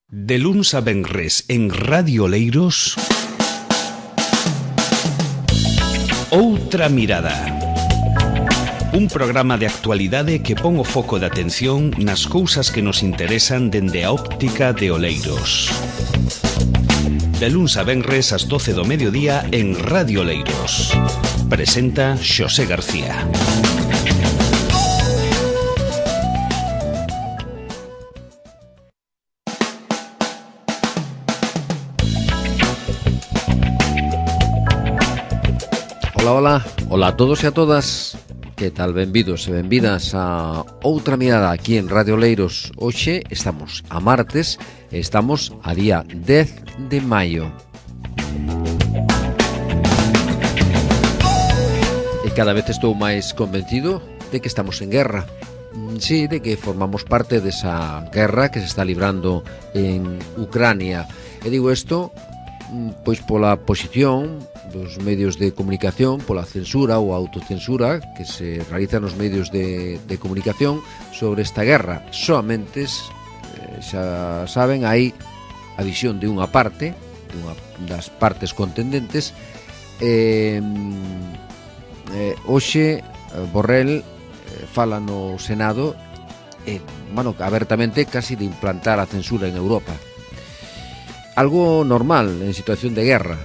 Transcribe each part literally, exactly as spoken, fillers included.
De luns a venres en Radio Oleiros, Outra Mirada. Un programa de actualidade que pon o foco de atención nas cousas que nos interesan dende a óptica de Oleiros. De luns a venres ás doce do mediodía en Radio Oleiros. Presenta Xosé García. Ola, ola, ola a todos e a todas. Que tal, benvidos e benvidas a Outra Mirada aquí en Radio Oleiros. Hoxe estamos a martes e estamos a día dez de maio. E cada vez estou máis convencido de que estamos en guerra. Sí, de que formamos parte desa guerra que se está librando en Ucrania. E digo isto pois pola posición dos medios de comunicación, pola censura ou autocensura que se realiza nos medios de, de comunicación sobre esta guerra. Soamente, eh, xa saben, hai a visión de unha parte, de unha das partes contendentes. Eh, eh, hoxe Borrell eh, fala no Senado eh, bueno, abertamente casi de implantar a censura en Europa. Algo normal en situación de guerra.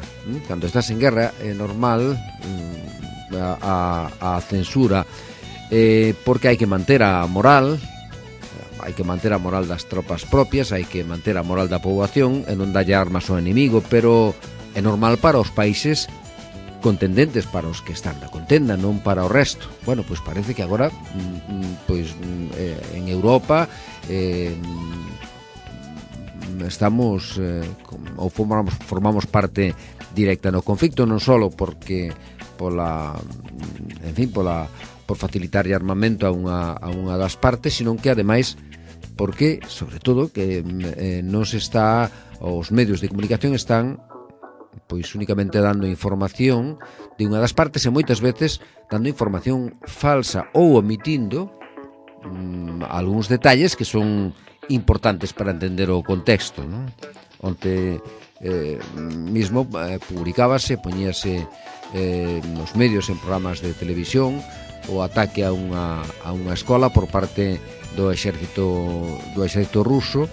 Cando estás en guerra é normal a, a, a censura, eh, porque hai que manter a moral, hai que manter a moral das tropas propias, hai que manter a moral da poboación e non dalle armas ao enemigo, pero é normal para os países contendentes, para os que están na contenda, non para o resto. Bueno, pois parece que agora pois eh, en Europa eh, estamos eh, ou formamos, formamos parte directa no conflicto, non só porque pola, en fin, pola por facilitar armamento a unha a unha das partes, sino que ademais porque, sobre todo, que eh, non se está, os medios de comunicación están pois únicamente dando información de unha das partes e moitas veces dando información falsa ou omitindo mm, algúns detalles que son importantes para entender o contexto, non? Onte eh, mismo eh, publicábase, poñíase eh, nos medios, en programas de televisión, o ataque a unha, a unha escola por parte do exército do exército ruso,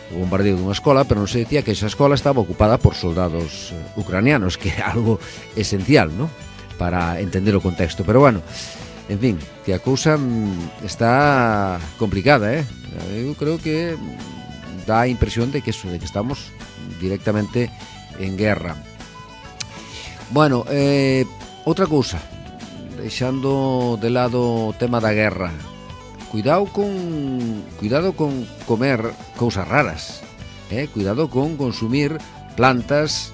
o bombardeo dunha escola, pero non se decía que esa escola estaba ocupada por soldados ucranianos, que é algo esencial, ¿no?, para entender o contexto. Pero bueno, en fin, que a cousa está complicada, eh? Eu creo que dá a impresión de que eso, de que estamos directamente en guerra. Bueno, eh, outra cousa, deixando de lado o tema da guerra, cuidado con cuidado con comer cousas raras, eh? Cuidado con consumir plantas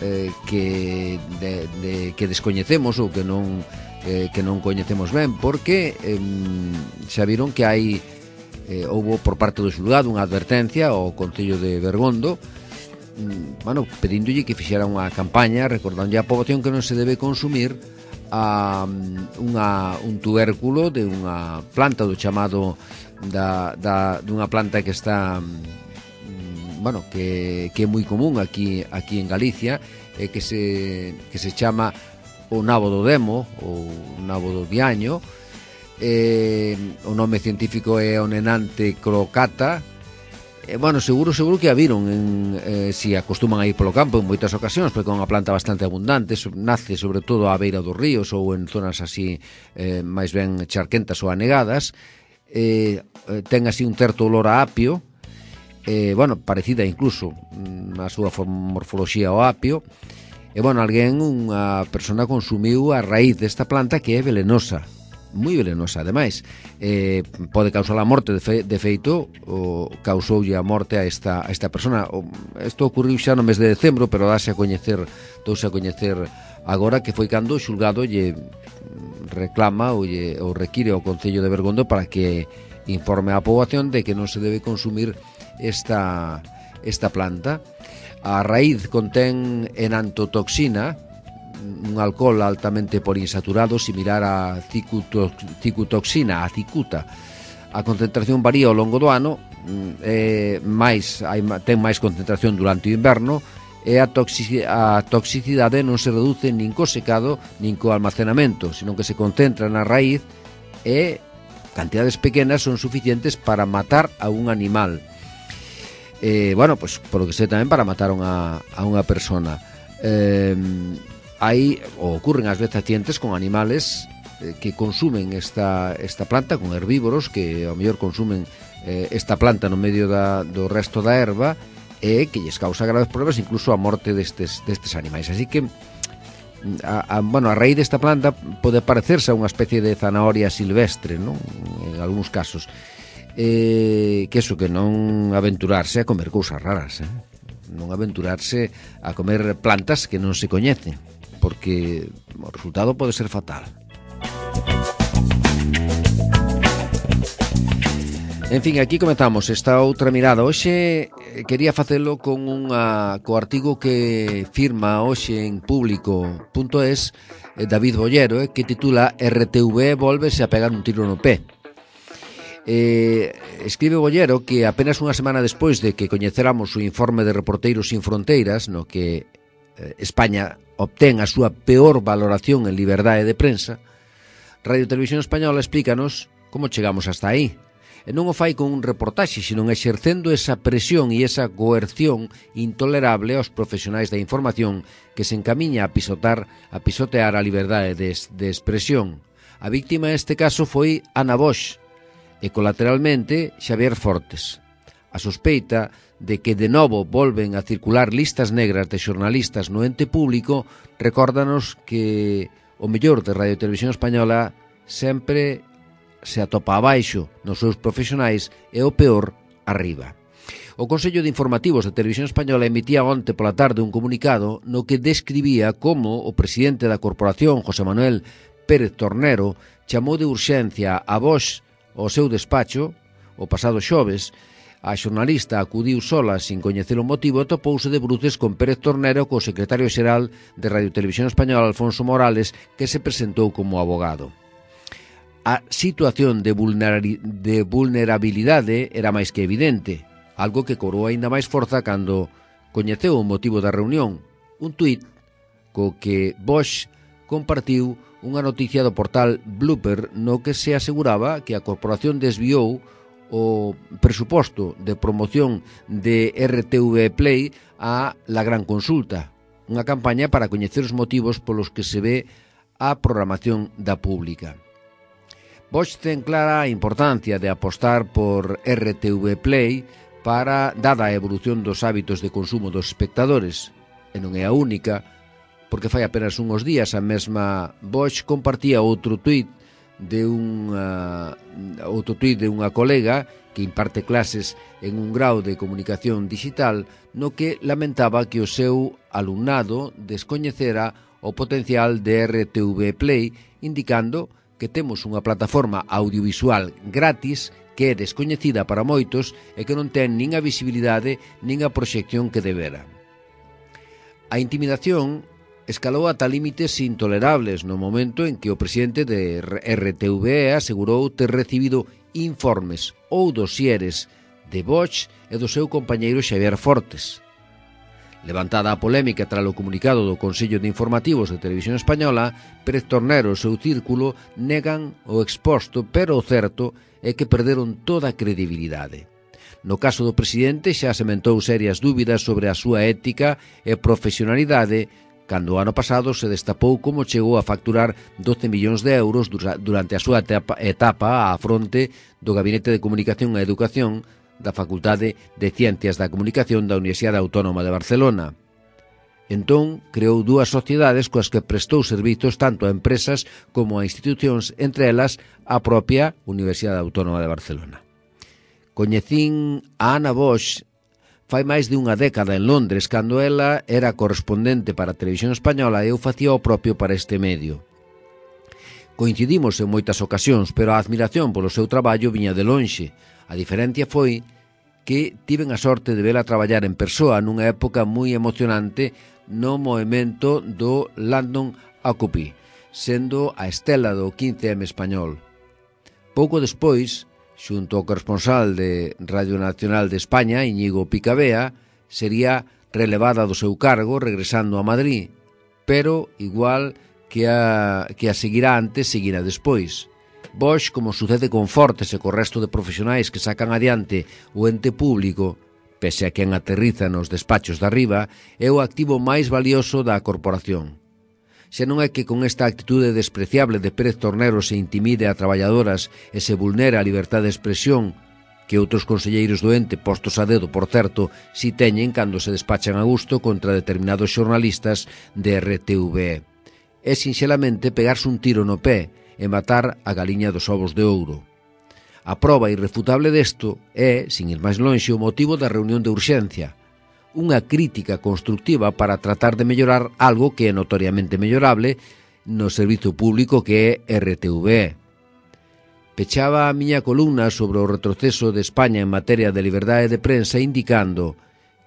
eh, que de, de, que descoñecemos ou que non eh, que non coñecemos ben, porque eh, xa viron que hai eh, houbo por parte do xulgado unha advertencia ao Concello de Bergondo, mm, bueno, pedíndolle que fixera unha campaña recordándolle á poboación que non se debe consumir a unha, un tubérculo de unha planta do chamado da, da, dunha planta que está mm, bueno, que, que é moi común aquí, aquí en Galicia, eh, que se que se chama o nabo do demo ou nabo do diaño. Eh, o nome científico é Onenante crocata. Eh, bueno, seguro seguro que a viron en, eh, si acostuman a ir polo campo en moitas ocasións, porque é unha planta bastante abundante, so, nace sobre todo á beira dos ríos ou en zonas así eh, máis ben charquentas ou anegadas. Eh, eh, ten así un certo olor a apio, eh, bueno, parecida incluso na súa morfoloxía ao apio. E bueno, alguén, unha persona consumiu a raíz desta planta que é velenosa, moi velenosa, ademais. Eh, pode causar a morte, de, fe, de feito, o, causoulle a morte a esta, a esta persona. Isto ocurriu xa no mes de decembro, pero dáse a coñecer, douse a coñecer agora, que foi cando o xulgado lle reclama ou, lle, ou require ao Concello de Bergondo para que informe á poboación de que non se debe consumir esta, esta planta. A raíz contén enantotoxina, un alcohol altamente poliinsaturado similar a cicutoxina, a cicuta. A concentración varía ao longo do ano, é máis, hai, ten máis concentración durante o inverno, e a, toxici, a toxicidade non se reduce nin co secado nin co almacenamento, senón que se concentra na raíz e cantidades pequenas son suficientes para matar a un animal. Eh, bueno, pues por lo que sei tamén para matar a unha, a unha persona. Eh, hai, ou ocurren ás veces accidentes con animales eh, que consumen esta, esta planta, con herbívoros que ao mellor consumen eh, esta planta no medio da, do resto da erva, e que lles causa graves problemas, incluso a morte destes, destes animais. Así que a, a, bueno, a raíz desta planta pode parecerse a unha especie de zanahoria silvestre, non? En algúns casos, eh, que eso, que non aventurarse a comer cousas raras, eh? Non aventurarse a comer plantas que non se coñecen, porque o resultado pode ser fatal. En fin, aquí comezamos esta outra mirada. Hoxe quería facelo con unha co artigo que firma hoxe en público punto es David Bollero, eh, que titula R T V volvese a pegar un tiro no pé. Eh, escribe Bollero que apenas unha semana despois de que coñeceramos o informe de Reporteiros Sin Fronteiras, no que eh, España obtén a súa peor valoración en liberdade de prensa, Radio Televisión Española explícanos como chegamos hasta aí. E non o fai con un reportaxe, senón exercendo esa presión e esa coerción intolerable aos profesionais da información que se encamiña a pisotar, a pisotear a liberdade de, de expresión. A víctima neste caso foi Ana Bosch e colateralmente Xavier Fortes. A sospeita de que de novo volven a circular listas negras de xornalistas no ente público recórdanos que o mellor de Radio Televisión Española sempre se atopa abaixo nos seus profesionais e o peor arriba. O Consello de Informativos de Televisión Española emitía onte pola tarde un comunicado no que describía como o presidente da corporación, José Manuel Pérez Tornero, chamou de urxencia a Bosch ao seu despacho o pasado xoves. A xornalista acudiu sola sin coñecer o motivo e topouse de bruces con Pérez Tornero, co secretario xeral de Radio Televisión Española, Alfonso Morales, que se presentou como abogado. A situación de, vulnerari- de vulnerabilidade era máis que evidente, algo que cobrou aínda máis forza cando coñeceu o motivo da reunión, un tuit co que Bosch compartiu unha noticia do portal Blooper no que se aseguraba que a corporación desviou o presuposto de promoción de R T V Play a La Gran Consulta, unha campaña para coñecer os motivos polos que se ve a programación da pública. Bosch ten clara a importancia de apostar por R T V Play para, dada a evolución dos hábitos de consumo dos espectadores, e non é a única, porque fai apenas unhos días a mesma Bosch compartía outro tuit de unha outro tuit de unha colega que imparte clases en un grau de comunicación digital no que lamentaba que o seu alumnado descoñecera o potencial de R T V Play, indicando que temos unha plataforma audiovisual gratis que é descoñecida para moitos e que non ten nin a visibilidade nin a proxección que debera. A intimidación escalou ata límites intolerables no momento en que o presidente de R T V E asegurou ter recibido informes ou dosieres de Bosch e do seu compañeiro Xavier Fortes. Levantada a polémica tras o comunicado do Consello de Informativos de Televisión Española, Pérez Tornero e o seu círculo negan o exposto, pero o certo é que perderon toda a credibilidade. No caso do presidente xa sementou serias dúbidas sobre a súa ética e profesionalidade cando o ano pasado se destapou como chegou a facturar doce millóns de euros durante a súa etapa á fronte do Gabinete de Comunicación e Educación da Facultade de Ciencias da Comunicación da Universidade Autónoma de Barcelona. Entón, creou dúas sociedades coas que prestou servizos tanto a empresas como a institucións, entre elas a propia Universidade Autónoma de Barcelona. Coñecín a Ana Bosch fai máis de unha década en Londres, cando ela era correspondente para a Televisión Española e eu facía o propio para este medio. Coincidimos en moitas ocasións, pero a admiración polo seu traballo viña de lonxe. A diferencia foi que tiven a sorte de vela traballar en persoa nunha época moi emocionante no movemento do London Occupy, sendo a estela do quince eme español. Pouco despois, xunto ao corresponsal de Radio Nacional de España, Íñigo Picabea, sería relevada do seu cargo regresando a Madrid, pero igual que a, que a seguirá antes, seguirá despois. Bosch, como sucede con Fortes e co resto de profesionais que sacan adiante o ente público, pese a quen aterriza nos despachos de arriba, é o activo máis valioso da corporación. Xa non é que con esta actitude despreciable de Pérez Tornero se intimide a traballadoras e se vulnera a liberdade de expresión, que outros conselleiros do ente, postos a dedo, por certo, si teñen cando se despachan a gusto contra determinados xornalistas de R T V E. É sinxelamente pegarse un tiro no pé e matar a galiña dos ovos de ouro. A proba irrefutable desto é, sin ir máis lonxe, o motivo da reunión de urxencia. Unha crítica constructiva para tratar de mellorar algo que é notoriamente mellorable no servizo público que é R T V E. Pechaba a miña columna sobre o retroceso de España en materia de liberdade de prensa indicando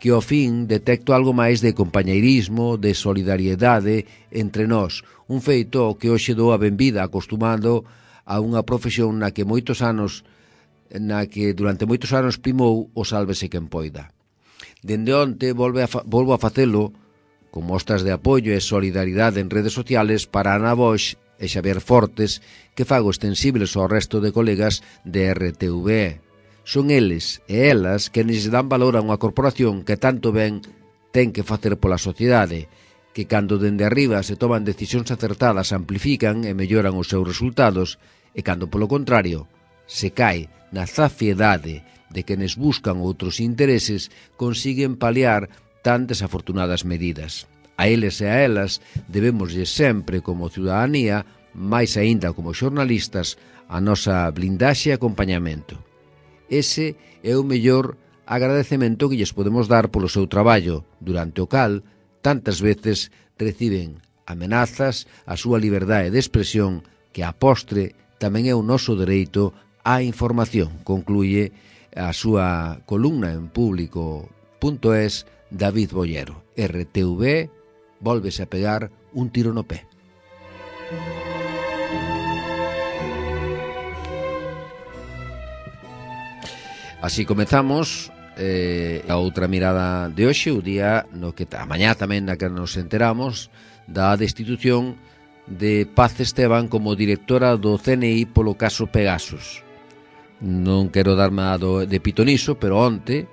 que ao fin detecto algo máis de compañeirismo, de solidariedade entre nós, un feito ao que hoxe dou a benvida acostumando a unha profesión na que moitos anos na que durante moitos anos primou o sálvese quen poida. Dende onte volve a fa, volvo a facelo con mostras de apoio e solidaridade en redes sociales para Ana Bosch e Xavier Fortes, que fago extensibles ao resto de colegas de R T V E. Son eles e elas que lles dan valor a unha corporación que tanto ben ten que facer pola sociedade, que cando dende arriba se toman decisións acertadas amplifican e melloran os seus resultados, e cando, polo contrario, se cae na zafiedade de quenes buscan outros intereses, consiguen paliar tan desafortunadas medidas. A eles e a elas debémoslle sempre, como ciudadanía, máis aínda como xornalistas, a nosa blindaxe e acompañamento. Ese é o mellor agradecemento que lles podemos dar polo seu traballo, durante o cal, tantas veces, reciben amenazas a súa liberdade de expresión que a postre tamén é o noso dereito á información, concluye a súa columna en público punto es David Bollero. R T V E volvese a pegar un tiro no pé. Así comezamos eh, a outra mirada de hoxe, o día no que a mañá tamén na que nos enteramos da destitución de Paz Esteban como directora do C N I polo caso Pegasus. Non quero darme a do, de pitoniso, pero onte,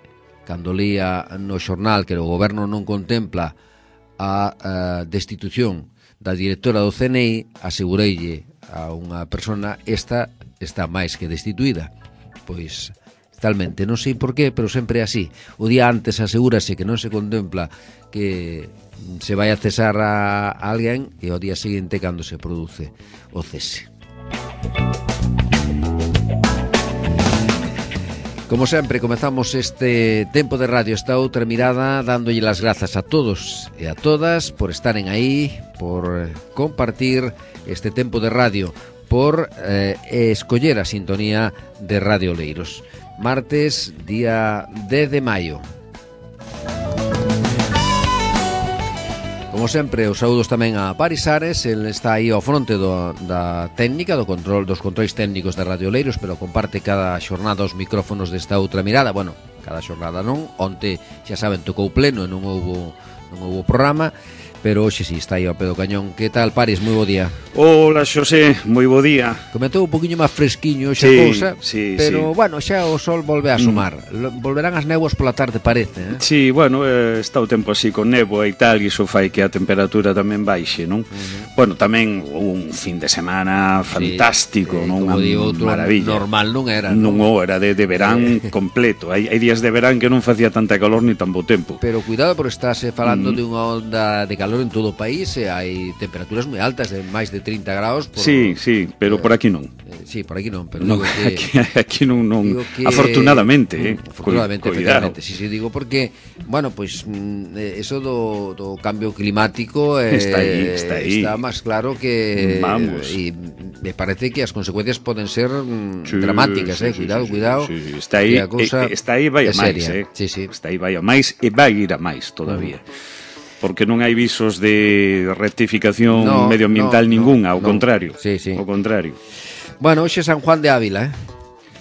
cando lía no xornal que o goberno non contempla a, a destitución da directora do C N I, asegureille a unha persona, esta está máis que destituída. Pois, talmente, non sei por qué, pero sempre é así. O día antes asegúrase que non se contempla que se vai a cesar a alguén e ao día seguinte cando se produce o cese. Como sempre, comezamos este tempo de radio, esta outra mirada, dándolle las grazas a todos e a todas por estaren aí, por compartir este tempo de radio, por eh, escoller a sintonía de Radio Oleiros. Martes, día dez de maio. Como sempre, os saúdos tamén a Paris Ares, el está aí ao fronte do, da técnica, do control dos controis técnicos de Radio Oleiros, pero comparte cada xornada os micrófonos desta outra mirada. Bueno, cada xornada non, onte, xa saben, tocou pleno e non houbo, non houbo programa, pero hoxe si está aí ao pé do cañón. Que tal, Paris? Moi bo día. Hola, Xosé, moi bo día. Comentou un poquinho máis fresquiño xa sí, cousa, sí, pero, sí. bueno, xa o sol volve a asomar. Mm. Volverán as néboas pola tarde, parece, eh? Sí, bueno, eh, está o tempo así con néboa e tal, e iso fai que a temperatura tamén baixe, non? Uh-huh. Bueno, tamén un fin de semana fantástico, sí, non? Como digo, maravilla. Normal non era, non? Non era de, de verán completo. Hai, hai días de verán que non facía tanta calor ni tan bo tempo. Pero cuidado, porque estás falando mm. de unha onda de calor en todo o país e hai temperaturas moi altas, de máis de trinta graus por... Sí, sí, pero por aquí non. eh, Sí, por aquí non, pero no, digo que... Aquí, aquí non, non que, afortunadamente, eh, afortunadamente, cu, efectivamente, sí, sí, digo porque, bueno, pues eso do, do cambio climático eh, está aí, está aí. Está máis claro que... Vamos. E me parece que as consecuencias poden ser mm, sí, dramáticas, sí, eh, sí, cuidado, sí, cuidado. Sí, sí. Está aí, eh, está aí vai a máis, eh. Sí, sí. Está aí vai a máis e vai ir a máis todavía. Mm. Porque non hai visos de rectificación no, medioambiental no, ningunha, ao no, contrario. Sí, sí. Ao contrario. Bueno, hoxe San Juan de Ávila, eh?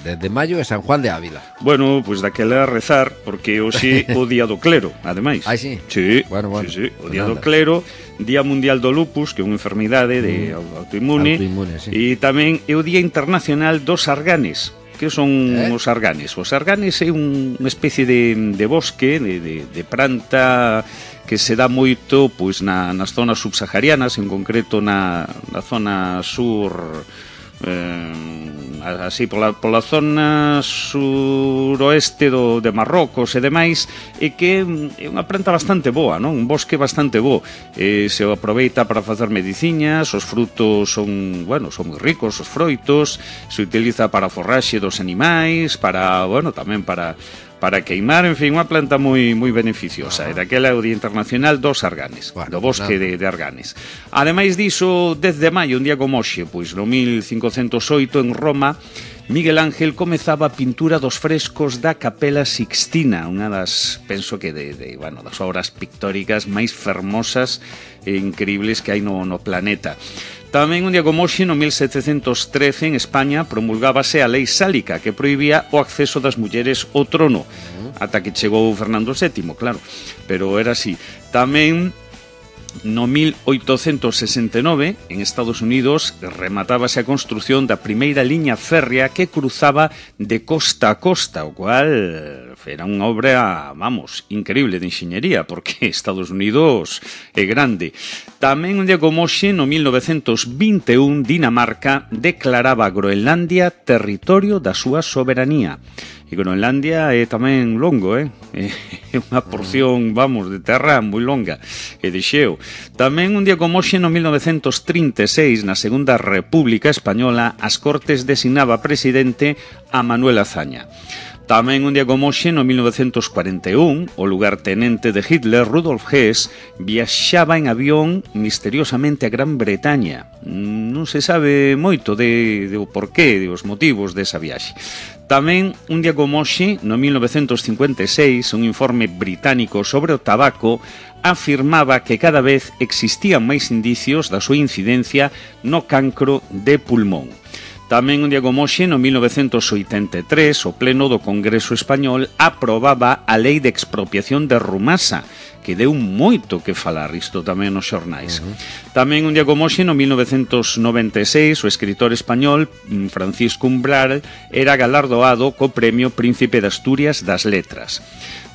dez de maio é San Juan de Ávila. Bueno, pois pues daquela rezar, porque hoxe o día do clero, ademais. Ah, sí? Sí, bueno, bueno, sí, sí. O pues día nada. do clero, Día Mundial do Lupus, que é unha enfermidade de autoinmune, autoinmune, sí. E tamén é o Día Internacional dos Arganes. Que son eh? os arganes? Os arganes é un, unha especie de, de bosque, de, de, de planta que se dá moito pois na, nas zonas subsaharianas, en concreto na, na zona sur, eh, así pola, pola zona suroeste do, de Marrocos e demais, e que é unha planta bastante boa, non? Un bosque bastante bo, e se aproveita para facer mediciñas, os frutos son, bueno, son moi ricos, os froitos, se utiliza para a forraxe dos animais, para, bueno, tamén para para queimar, en fin, unha planta moi moi beneficiosa. E daquela é o Día Internacional dos Arganes, bueno, do bosque de, de Arganes. Ademais diso, dez de maio, un día como hoxe, pois no mil cincocentos oito, en Roma, Miguel Ángel comezaba a pintura dos frescos da Capela Sixtina, unha das, penso que de, de bueno, das obras pictóricas máis fermosas e increíbles que hai no, no planeta. Tamén un día como hoxe, no mil setecentos trece, en España, promulgábase a Lei Sálica, que prohibía o acceso das mulleres ao trono, ata que chegou Fernando sétimo, claro, pero era así. Tamén no mil oitocentos sesenta e nove, en Estados Unidos, rematábase a construción da primeira liña férrea que cruzaba de costa a costa, o cual era unha obra, vamos, increíble de enxeñería, porque Estados Unidos é grande. Tamén un día como hoxe, no mil novecentos vinte e un, Dinamarca declaraba Groenlandia territorio da súa soberanía. E Groenlandia é tamén longo, eh? É unha porción, vamos, de terra moi longa e de xeo. Tamén un día como hoxe, no mil novecentos trinta e seis, na Segunda República Española, as Cortes designaba presidente a Manuel Azaña. Tamén un día como hoxe, no mil novecentos cuarenta e un, o lugartenente de Hitler, Rudolf Hess, viaxaba en avión misteriosamente a Gran Bretaña. Non se sabe moito de, de o porqué, de os motivos desa viaxe. Tamén, un día como hoxe, no mil novecentos cincuenta e seis, un informe británico sobre o tabaco afirmaba que cada vez existían máis indicios da súa incidencia no cancro de pulmón. Tamén un día como hoxe, no mil novecentos oitenta e tres, o Pleno do Congreso Español aprobaba a Lei de Expropiación de Rumasa, que deu moito que falar, isto tamén nos xornais. Uh-huh. Tamén un día como hoxe, no mil novecentos noventa e seis, o escritor español Francisco Umbral era galardoado co Premio Príncipe de Asturias das Letras.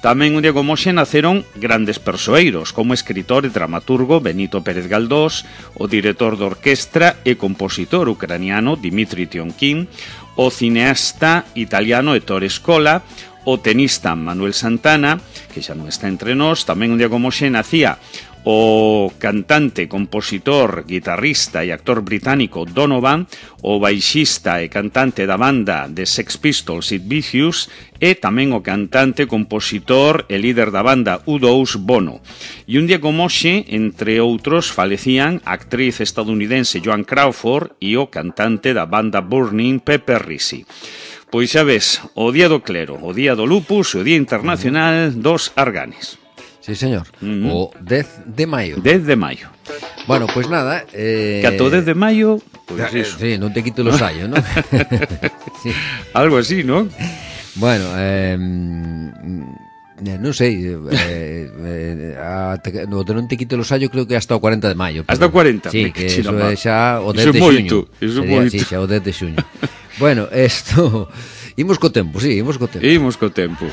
Tamén un día como hoxe naceron grandes persoeiros, como escritor e dramaturgo Benito Pérez Galdós, o director de orquestra e compositor ucraniano Dmitri Tiomkin, o cineasta italiano Ettore Scola, o tenista Manuel Santana, que xa non está entre nós. Tamén un día como hoxe nacía o cantante, compositor, guitarrista e actor británico Donovan, o baixista e cantante da banda de Sex Pistols Sid Vicious, e tamén o cantante, compositor e líder da banda U dous Bono. E un día como hoxe, entre outros, falecían a actriz estadounidense Joan Crawford e o cantante da banda Burning Pepper Risi. Pois xa ves, o Día do Clero, o Día do Lupus e o Día Internacional dos Arganes. Sí, señor. Mm-hmm. O dez de maio. dez de maio. Bueno, pois pues nada... Eh... Que a todo dez de maio... Pues eh, eso. Sí, non te quito los años, ¿no? Sí. Algo así, ¿no? Bueno, eh... non sei, eh, eh, ata, no, non te quito los años, creo que hasta o cuarenta de maio. Hasta o cuarenta? Sí, que eso é xa o dez de xuño. Iso é moito. Sí, xa o dez de xuño. Bueno, esto... Imos co tempo, sí, imos co tempo. Imos co tempo.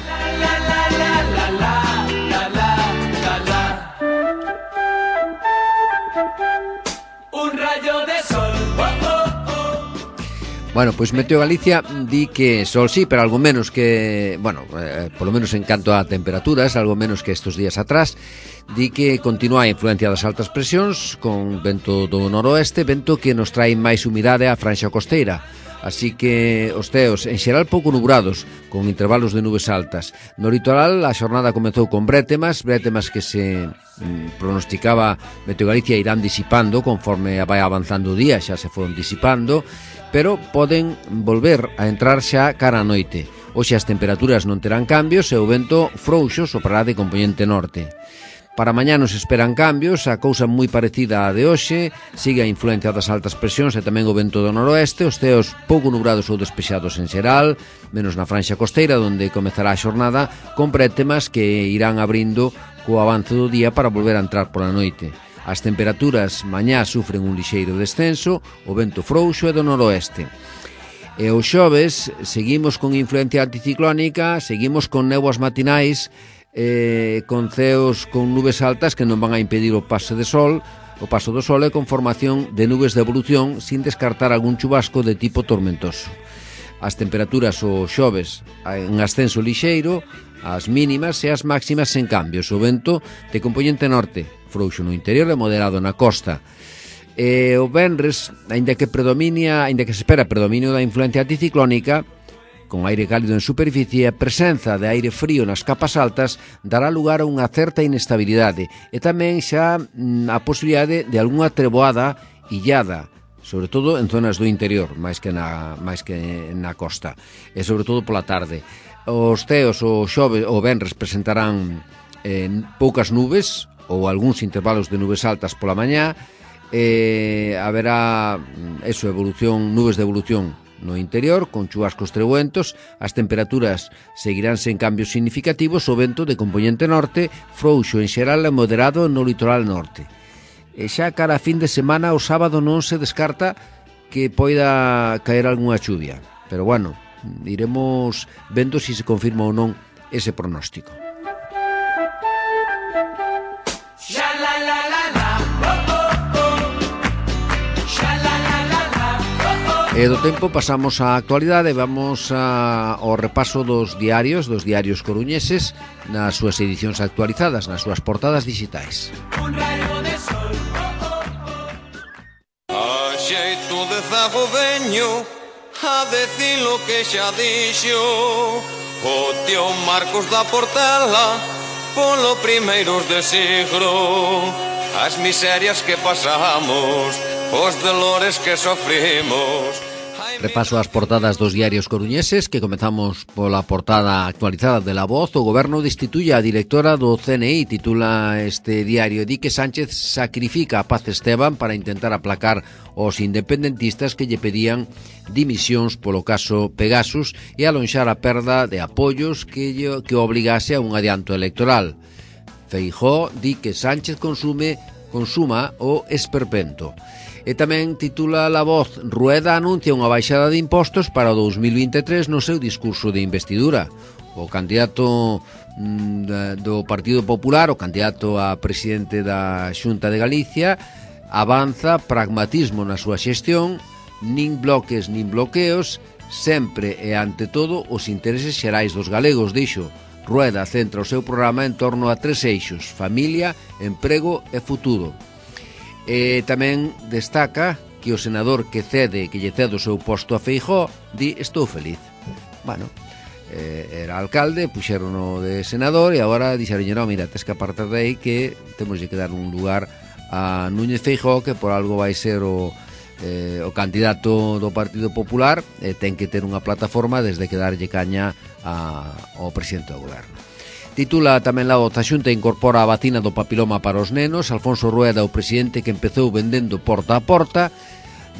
Bueno, pois pues Meteo Galicia di que sol sí, pero algo menos que, bueno, eh, polo menos en canto a temperaturas, algo menos que estos días atrás. Di que continúa a influencia das altas presións con vento do noroeste, vento que nos trae máis humidade á franxa costeira. Así que os ceos en xeral pouco nubrados, con intervalos de nubes altas. No litoral a xornada comezou con brétemas, brétemas que se mm, pronosticaba Meteo Galicia irán disipando conforme vai avanzando o día, xa se foron disipando, pero poden volver a entrar xa cara a noite. Hoxe as temperaturas non terán cambios e o vento frouxo soprará de compoñente norte. Para mañá nos esperan cambios, a cousa moi parecida á de hoxe, sigue a influencia das altas presións e tamén o vento do noroeste, os ceos pouco nubrados ou despexados en xeral, menos na franxa costeira, onde comezará a xornada con brétemas que irán abrindo co avance do día para volver a entrar pola noite. As temperaturas mañá sufren un lixeiro descenso, o vento frouxo e do noroeste. E os xoves seguimos con influencia anticiclónica, seguimos con néboas matinais, Eh, con ceos con nubes altas que non van a impedir o paso de sol, o paso do sol e con formación de nubes de evolución sin descartar algún chubasco de tipo tormentoso. As temperaturas o xoves en ascenso lixeiro, as mínimas e as máximas en cambios. O vento de componente norte, frouxo no interior e moderado na costa. E o venres, aínda que predomina, aínda que se espera predominio da influencia anticiclónica, con aire cálido en superficie, a presenza de aire frío nas capas altas dará lugar a unha certa inestabilidade e tamén xa a posibilidade de algunha treboada illada, sobre todo en zonas do interior, máis que na, máis que na costa, e sobre todo pola tarde. Os ceos o xove o venres presentarán eh, poucas nubes ou algúns intervalos de nubes altas pola mañá, e haberá eso, evolución, nubes de evolución no interior, con chubascos trebuentos, as temperaturas seguirán sen cambios significativos, o vento de componente norte, frouxo en xeral e moderado no litoral norte. E xa cara a fin de semana, o sábado non se descarta que poida caer algunha chuvia, pero bueno, iremos vendo se se confirma ou non ese pronóstico. E do tempo pasamos á actualidade, vamos a, ao repaso dos diarios, dos diarios coruñeses, nas súas edicións actualizadas, nas súas portadas digitais. A xeito de zago veño a decir lo que xa dixo o tío Marcos da Portela polo primeiros de siglo, as miserias que pasamos, os dolores que sofrimos. Repaso as portadas dos diarios coruñeses, que comezamos pola portada actualizada de La Voz. O goberno destituye a directora do C N I, titula este diario. Di que Sánchez sacrifica a Paz Esteban para intentar aplacar os independentistas que lle pedían dimisións polo caso Pegasus e alonxar a perda de apoios que, lle, que obligase a un adianto electoral. Feijóo di que Sánchez consume consuma o esperpento. E tamén titula La Voz, Rueda anuncia unha baixada de impostos para o dous mil vinte e tres no seu discurso de investidura. O candidato mm, do Partido Popular, o candidato a presidente da Xunta de Galicia, avanza pragmatismo na súa xestión, nin bloques nin bloqueos, sempre e ante todo os intereses xerais dos galegos, dixo. Rueda centra o seu programa en torno a tres eixos: familia, emprego e futuro. E tamén destaca que o senador que cede, que lle cede o seu posto a Feijóo, di estou feliz. Bueno, eh, era alcalde, puxerono de senador e agora dixeron, non, mira, tes que apartar de aí que temos que dar un lugar a Núñez Feijóo, que por algo vai ser o, eh, o candidato do Partido Popular, e ten que ter unha plataforma desde que darlle caña a, ao presidente do goberno. Titula tamén La Voz, a Xunta incorpora a vacina do papiloma para os nenos. Alfonso Rueda, o presidente que empezou vendendo porta a porta,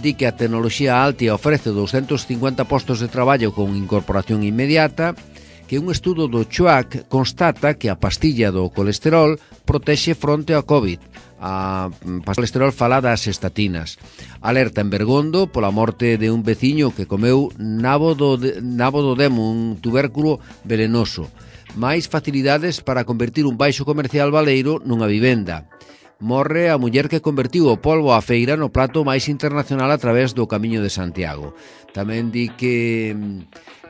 di que a tecnoloxía Altia ofrece doscientos cincuenta postos de traballo con incorporación inmediata, que un estudo do C H U A C constata que a pastilla do colesterol protexe fronte ao COVID. A colesterol fala das estatinas. Alerta en Bergondo pola morte de un veciño que comeu nabo do, de, nabo do demo, un tubérculo venenoso. Máis facilidades para convertir un baixo comercial baleiro nunha vivenda. Morre a muller que convertiu o polvo á feira no plato máis internacional a través do Camiño de Santiago. Tamén di que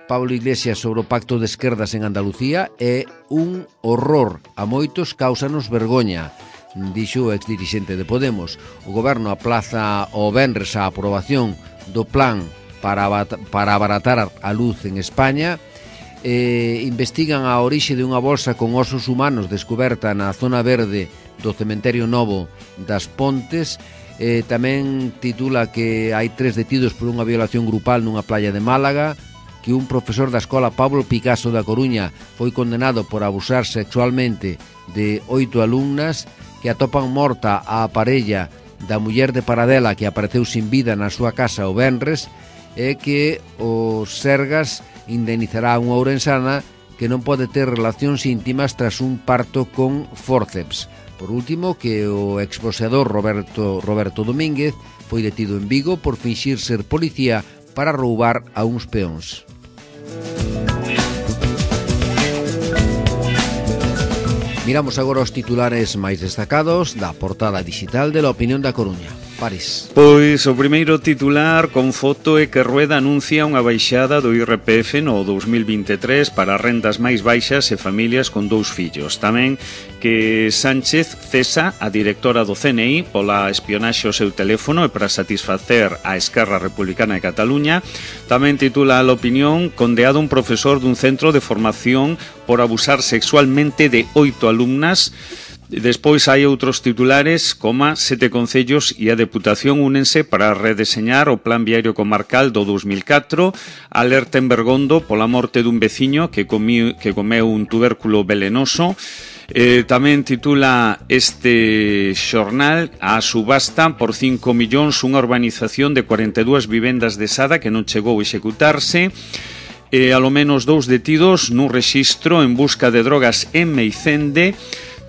Pablo Iglesias sobre o pacto de esquerdas en Andalucía é un horror. A moitos cáusanos vergoña, dixo o exdirixente de Podemos. O goberno aplaza o venres a aprobación do plan para, para abaratar a luz en España. Eh, investigan a orixe de unha bolsa con osos humanos descoberta na zona verde do Cementerio Novo das Pontes. Eh, tamén titula que hai tres detidos por unha violación grupal nunha playa de Málaga. que un profesor da escola Pablo Picasso da Coruña foi condenado por abusar sexualmente de oito alumnas, que atopan morta a parella da muller de Paradela que apareceu sin vida na súa casa o venres, e que o Sergas indemnizará a unha ourensana que non pode ter relacións íntimas tras un parto con fórceps. Por último, que o exboxeador Roberto, Roberto Domínguez foi detido en Vigo por finxir ser policía para roubar a uns peóns. Miramos agora os titulares máis destacados da portada digital de La Opinión da Coruña. París. Pois o primeiro titular con foto é que Rueda anuncia unha baixada do I R P F no dous mil vinte e tres para rendas máis baixas e familias con dous fillos. Tamén que Sánchez cesa a directora do C N I pola espionaxe ao seu teléfono e para satisfacer a Esquerra Republicana de Cataluña. Tamén titula a La Opinión: condeado un profesor dun centro de formación por abusar sexualmente de oito alumnas. Despois hai outros titulares, como sete concellos e a Deputación únense para redeseñar o Plan Viario Comarcal do dous mil catro, alerta en Bergondo pola morte dun veciño que, comí, que comeu un tubérculo velenoso. Eh, tamén titula este xornal: a subasta por cinco millóns unha urbanización de cuarenta e dúas vivendas de Sada que non chegou a executarse. Eh, alo menos dous detidos nun rexistro en busca de drogas en Meicende.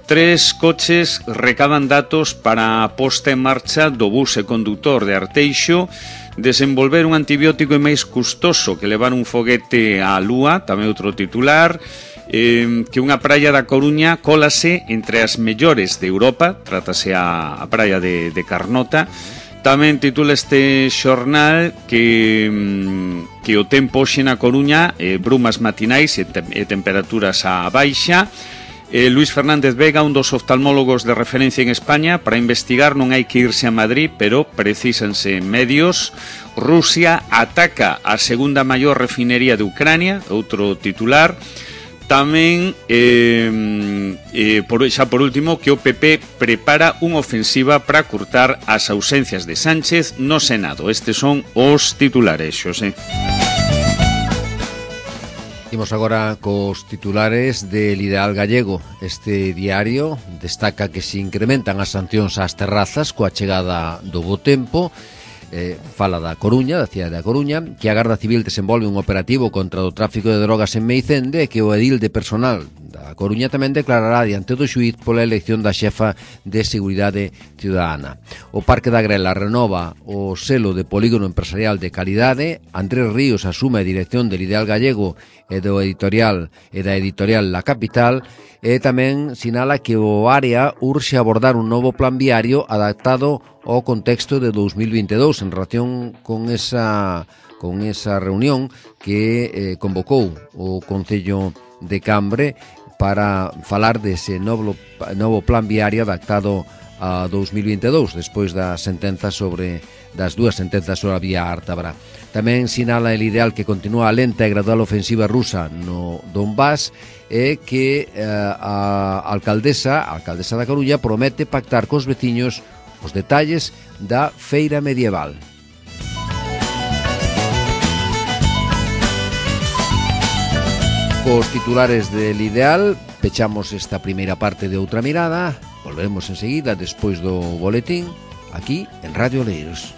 Tres coches recaban datos para a posta en marcha do bus e condutor de Arteixo. Desenvolver un antibiótico é máis custoso que levar un foguete á Lúa, tamén outro titular. Eh, que unha praia da Coruña cólase entre as mellores de Europa, trátase a, a praia de, de Carnota. Tamén titula este xornal que, que o tempo hoxe na Coruña, eh, brumas matinais e, te, e temperaturas á baixa. Eh, Luis Fernández Vega, un dos oftalmólogos de referencia en España, para investigar non hai que irse a Madrid, pero precísanse medios. Rusia ataca a segunda maior refinería de Ucrania, outro titular. Tamén, eh, eh, por, xa por último, que o P P prepara unha ofensiva para curtar as ausencias de Sánchez no Senado. Estes son os titulares, Xosé. Imos agora cos titulares del Ideal Gallego. Este diario destaca que se incrementan as sancións ás terrazas coa chegada do bo tempo. Eh, fala da Coruña, da cidade da Coruña, que a Garda Civil desenvolve un operativo contra o tráfico de drogas en Meicende e que o edil de personal da Coruña tamén declarará diante do xuíz pola elección da xefa de Seguridade Ciudadana. O Parque da Grela renova o selo de polígono empresarial de calidade. Andrés Ríos asume a dirección del Ideal Gallego e do editorial e da editorial La Capital, e tamén sinala que o área urxe abordar un novo plan viario adaptado ao contexto de dous mil vinte e dous en relación con esa con esa reunión que eh, convocou o Concello de Cambre para falar dese novo, novo plan viario adaptado a dous mil vinte e dous, despois da sentenza sobre das dúas sentenzas sobre a vía Ártabra. Tamén sinala el Ideal que continúa a lenta e gradual ofensiva rusa no Donbass e que eh, a alcaldesa, a alcaldesa da Coruña promete pactar cos veciños os detalles da feira medieval. Cos titulares del Ideal pechamos esta primeira parte de Outra Mirada. Volveremos enseguida despois do boletín aquí en Radio Oleiros.